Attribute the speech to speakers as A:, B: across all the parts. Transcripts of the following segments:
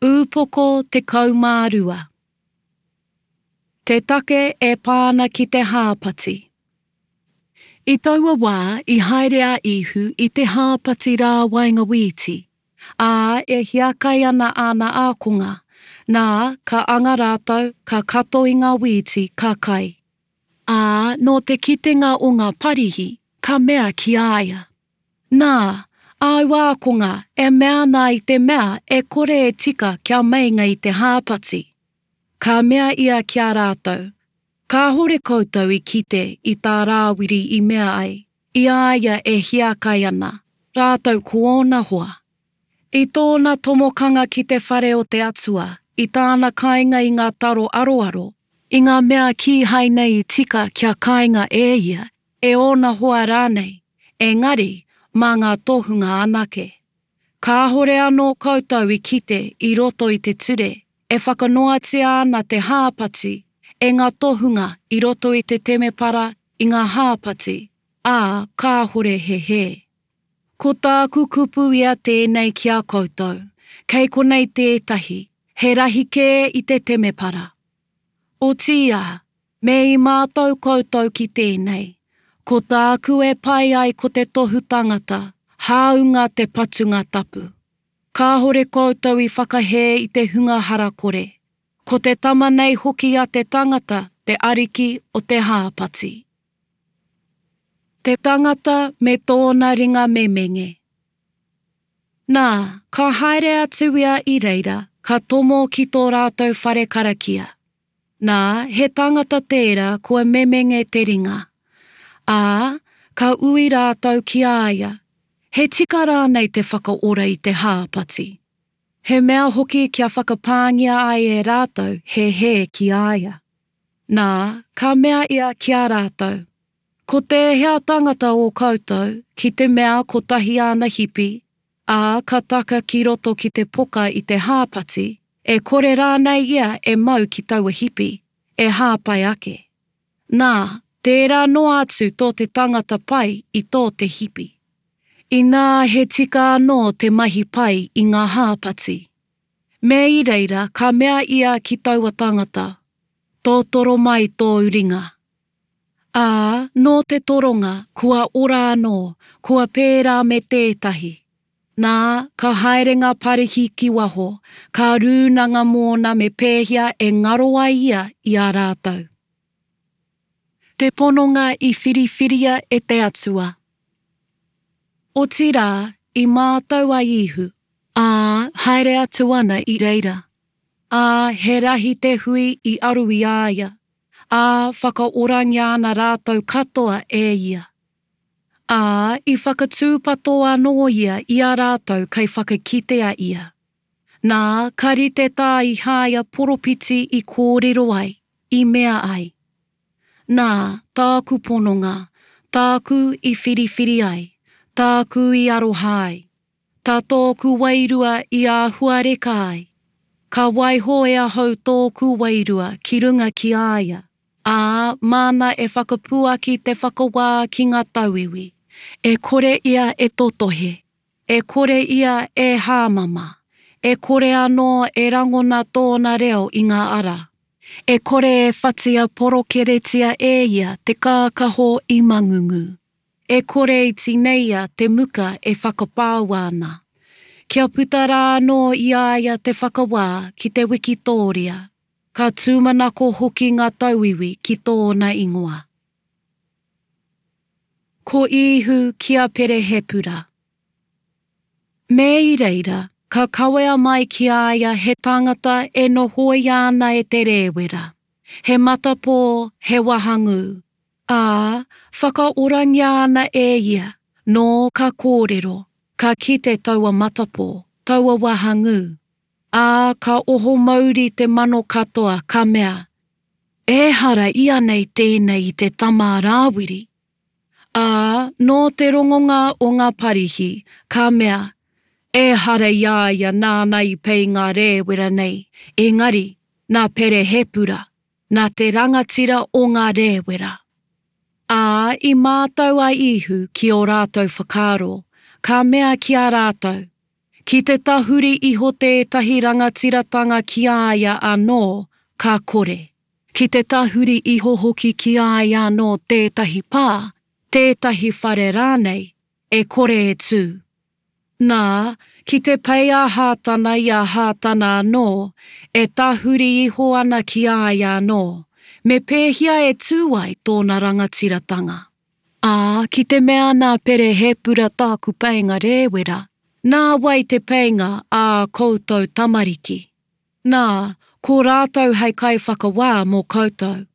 A: Ūpoko 12. Te take e pā ana ki te hāpati. I taua wā i haere a Īhu i te hāpati rā waenga wīti, ā, e hiakai ana āna ākonga, nā, ka anga rātou, ka kato i ngā wīti, ka kai. Ā, nō te kitenga o ngā Parihi, ka mea ki a ia, Nā, āu ākonga e mea ana i te mea e kore e tika kia meinga i te hāpati. Ka mea ia ki a rātou, Kāhore koutou i kite i tā Rāwiri i mea ai, i a ia e hiakai ana, rātou ko ōna hoa. I tōna tomokanga ki te whare o te Atua, i tāna kainga i ngā taro aroaro, i ngā mea kīhai nei i tika kia kainga e ia, e ōna hoa rānei, engari mā ngā tohunga anake. Kāhore anō koutou i kite i roto i te ture e whakanoatia ana te hāpati e ngā tohunga i roto i te temepara i ngā hāpati, ā, kāhore he hē. Ko tāku kupu ia tēnei ki a koutou, kei konei tētahi, he rahi kē i te temepara. Otiia, Me i mātau koutou ki tēnei, ko tāku e pai ai ko te tohu tangata, hāunga te patunga tapu. Kāhore koutou i whakahē i te hunga harakore. Ko te Tama nei hoki a te tangata te Ariki o te hāpati. Te tangata me tōna ringa memenge. Nā, ka haere atu ia i reira, ka tomo ki tō rātou whare karakia. Nā, he tangata tērā kua memenge te ringa. Ā, ka ui rātou ki a ia, He tika rānei te whakaora i te hāpati? He mea hoki kia whakapāngia ai e rātou he hē ki a ia. Nā, ka mea ia ki a rātou, Ko tēhea tangata o koutou, ki te mea kotahi āna hipi, ā, ka taka ki roto ki te poka i te hāpati, e kore rānei ia e mau ki taua hipi, e hāpai ake? Nā, tērā noa atu tō te tangata pai i tō te hipi. Inā he tika anō te mahi pai i ngā hāpati. Me i reira ka mea ia ki taua tangata, Tōtoro mai tōu ringa. Ā, nō te toronga, kua ora anō, kua pērā me tētahi. Nā, ka haere ngā Parihi ki waho, ka rūnanga mōna me pēhea e ngaro ai ia i a rātou. Te pononga i whiriwhiria e te Atua. Otirā, i mātau a Īhu, ā, haere atu ana i reira. Ā, he rahi te hui i aru i a ia. ā, whakaorangia ana rātou katoa e ia. Ā, i whakatūpato anō ia i a rātou kei whakakitea ia. Nā, ka rite tā Ihāia poropiti i kōrero ai, i mea ai, Nā, tāku pononga, tāku i whiriwhiri ai, tāku i aroha ai, Tā tōku wairua i āhuareka ai. Ka waiho e ahau tōku wairua ki runga ki a ia, ā, māna e whakapuaki te whakawā ki ngā tauiwi. E kore ia e totohe, e kore ia e hāmama, e kore anō e rangona tōna reo i ngā ara. E kore e whatia porokeretia e ia te kākaho i mangungu. E kore i tineia te muka e whakapāua ana. Kia puta rā anō i a ia te whakawā ki te wikitōria, ka tūmanako hoki ngā tauiwi ki tōna ingoa. Ko Īhu ki a Perehepura. Me i reira, ka kawea mai ki a ia he tangata e nohoia ana e te rēwera, he matapō, he wahangū, Ā, whakaorangia ana e ia, nō ka kōrero, ka kite taua matapō, taua wahangū. Ā, ka oho mauri te mano katoa, ka mea, Ehara ianei tēnei i te tama a Rāwiri? Ā, nō te rongonga o ngā Parihi, ka mea, Ehara i a ia nāna i pei ngā rēwera nei, engari, nā Perehepura. Nā te rangatira o ngā rēwera. Ā, i mātau a Īhu ki ō rātou whakaaro, ka mea ki a rātou, Ki te tahuri iho tētahi rangatiratanga ki a ia anō, ka kore. Ki te tahuri iho hoki ki a ia anō tētahi pā, tētahi whare rānei, e kore e tū. Nā, ki te pei a Hātana i a Hātana anō, e tahuri iho ana ki a ia anō, me pēhea e tū ai tōna rangatiratanga? Ā, ki te mea nā Perehepura tāku peinga rēwera, nā wai te peinga ā koutou tamariki? Nā, ko rātou hei kaiwhakawā mō koutou.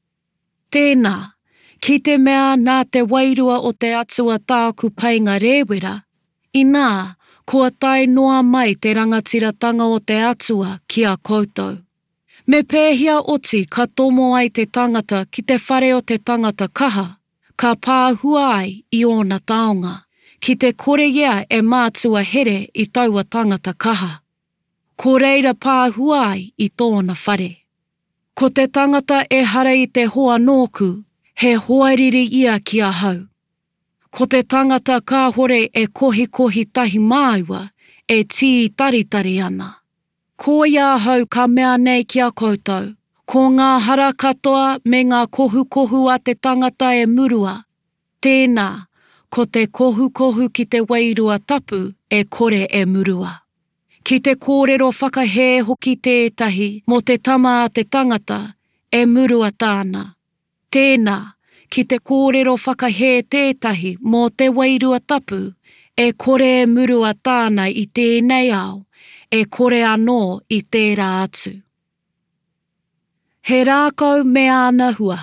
A: Tēnā, ki te mea nā te Wairua o te Atua tāku painga rēwera, inā, kua tae noa mai te rangatiratanga o te Atua ki a koutou. Me pēhea oti ka tomo ai te tangata ki te whare o te tangata kaha, ka pāhua ai i ōna taonga, ki te kore ia e mātua here i taua tangata kaha? Ko reira pāhua ai i tōna whare. Ko te tangata ehara i te hoa nōku, he hoariri ia ki ahau. Ko te tangata kāhore e kohikohi tahi māua, e tītaritari ana. Koia ahau ka mea nei ki a koutou, ko ngā hara katoa me ngā kohukohu a te tangata e murua, tēnā, ko te kohukohu ki te Wairua Tapu e kore e murua. Ki te kōrero whakahē hoki tētahi mō te Tama a te tangata, e murua tāna. Tēnā, ki te kōrero whakahē tētahi mō te Wairua Tapu, e kore e murua tāna i tēnei ao, e kore anō i tērā atu. He rākau me āna hua.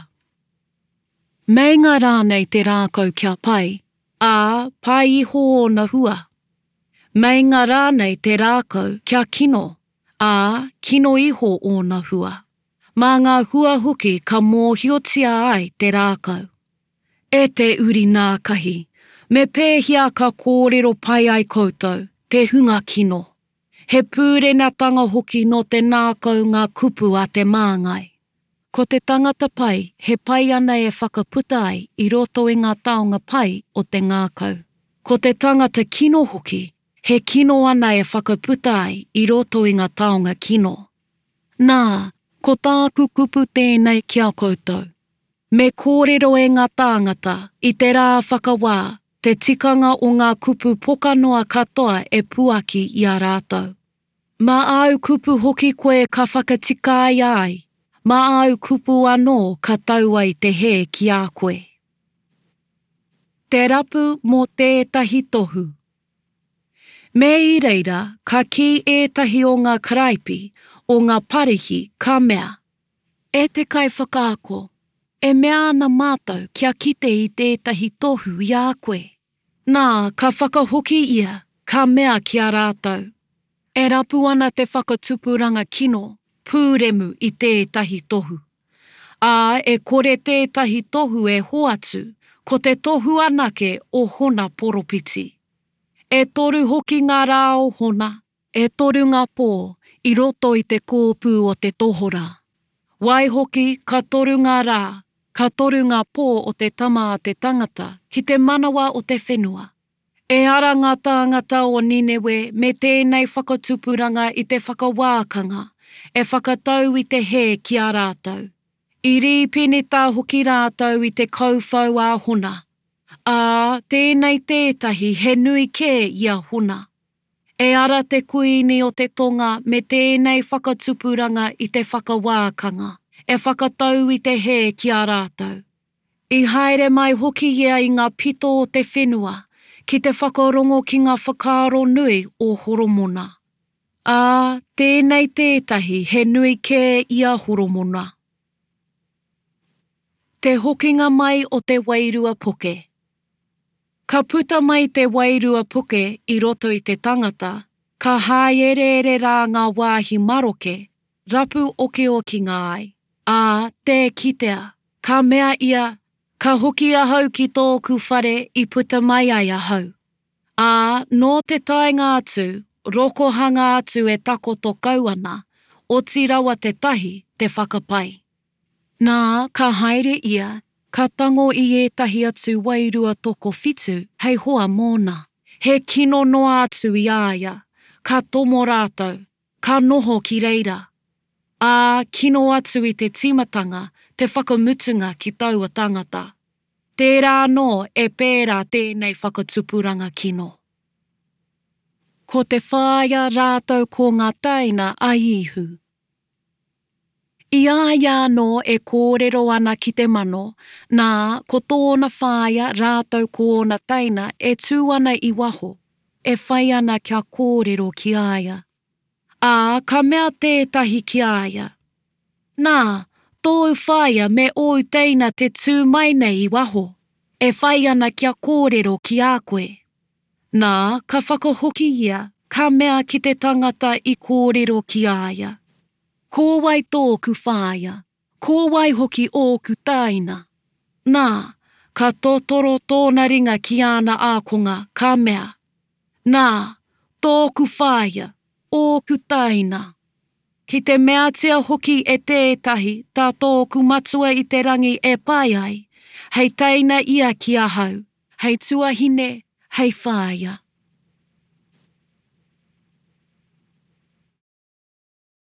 A: Meinga rānei te rākau kia pai, ā, pai iho ōna hua? Meinga rānei te rākau kia kino, ā, kino iho ōna hua. Mā ngā hua hoki ka mōhiotia ai te rākau. E te uri nākahi, me pēhea ka kōrero pai ai koutou, te hunga kino? He pūrenatanga hoki nō te nākau ngā kupu a te māngai. Ko te tangata pai, he pai ana e whakaputa ai i roto i ngā taonga pai o te ngākau. Ko te tangata kino hoki, he kino ana e whakaputa ai i roto i ngā taonga kino. Nā, ko tāku kupu tēnei ki a koutou, Me kōrero e ngā tāngata, i te rā whakawā, te tikanga o ngā kupu pokanoa katoa e puaki i a rātou. Mā āu kupu hoki koe ka whakatikaia ai, mā āu kupu anō ka tau ai te hē ki a koe. Te rapu mō tētahi tohu. Me i reira ka kī ētahi o ngā karaipi, o ngā Parihi, ka mea, E te Kaiwhakaako, e mea ana mātou kia kite i tētahi tohu i a koe. Nā, ka whakahoki ia, ka mea ki a rātou, E rapu ana te whakatupuranga kino, pūremu i tētahi tohu. Ā, e kore tētahi tohu e hoatu, ko te tohu anake o Hona poropiti. E toru hoki ngā rā o Hona, E toru ngā pō i roto i te kōpū o te tohorā. Waihoki, ka toru ngā rā, ka toru ngā pō o te Tama a te Tangata ki te manawa o te whenua. E ara ngā tāngata o Ninewe me tēnei whakatupuranga i te whakawākanga, e whakatau i te hē ki a rātou. I rīpenetā hoki rātou i te kauwhau a Hona. Ā, tēnei tētahi he nui kē i a Hona. E ara te Kuini o te Tonga me tēnei whakatupuranga i te whakawākanga, e whakatau i te hē ki a rātou. I haere mai hoki ia i ngā pito o te whenua ki te whakarongo ki ngā whakaaro nui o Horomona. Ā, tēnei tētahi he nui kē i a Horomona. Te hokinga mai o te wairua poke. Ka puta mai te wairua puke i roto i te tangata, ka hāereere rā ngā wāhi maroke, rapu okiokinga ai, ā, tē kitea. Ka mea ia, Ka hoki ahau ki tōku whare i puta mai ai ahau. Ā, nō te taenga atu, rokohanga atu e takoto kau ana, oti rawa te tahi te whakapai. Nā, ka haere ia, ka tango i ētahi atu wairua tokowhitu hei hoa mōna. He kino noa atu i a ia. Ka tomo rātou, ka noho ki reira. Ā, kino atu i te tīmatanga te whakamutunga ki taua tangata. Tērā anō e pērā tēnei whakatupuranga kino. Ko te whāia rātou ko ngā teina a Īhu. I a ia anō e kōrero ana ki te mano, nā, ko tōna whāea rātou ko ōna teina e tū ana i waho, e whai ana kia kōrero ki a ia. Ā, ka mea tētahi ki a ia, Nā, tōu whaea me ōu teina te tū mai nei i waho, e whai ana kia kōrero ki a koe. Nā, ka whakahoki ia, ka mea ki te tangata i kōrero ki a ia, Ko wai tōku whaea, ko wai hoki ōku tāina? Nā, ka totoro tōna ringa ki āna ākonga, ka mea, Nā, tōku whaea, ōku tāina! Ki te meatia hoki e tētahi tā tōku Matua i te rangi e pai ai, hei teina ia ki ahau, hei tuahine, hei whaea.